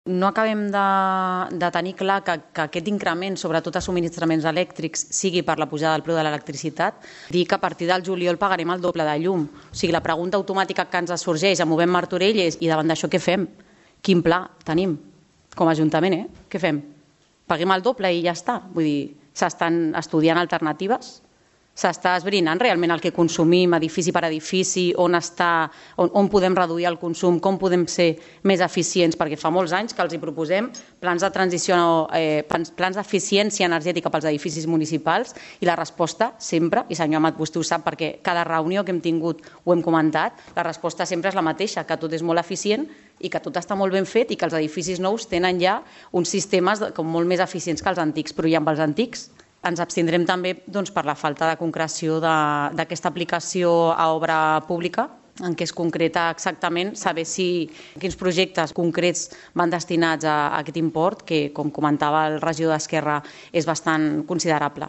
No acabem de tenir clar que aquest increment, sobretot a subministraments elèctrics, sigui per la pujada del preu de l'electricitat. Dir que a partir del juliol pagarem el doble de llum. O sigui, la pregunta automàtica que ens sorgeix a Movem Martorell és: i davant d'això què fem? Quin pla tenim com a Ajuntament? Què fem? Paguem el doble i ja està? Vull dir, s'estan estudiant alternatives? S'està esbrinant realment el que consumim edifici per edifici, on podem reduir el consum, com podem ser més eficients, perquè fa molts anys que els hi proposem plans de transició, plans d'eficiència energètica pels edificis municipals, i la resposta sempre, i senyor Amat, vostè ho sap perquè cada reunió que hem tingut ho hem comentat, la resposta sempre és la mateixa, que tot és molt eficient i que tot està molt ben fet i que els edificis nous tenen ja uns sistemes molt més eficients que els antics, però i amb els antics ens abstindrem també per la falta de concreció d'aquesta aplicació a obra pública, en què es concreta exactament saber quins projectes concrets van destinats a aquest import, que, com comentava el regidor d'Esquerra, és bastant considerable.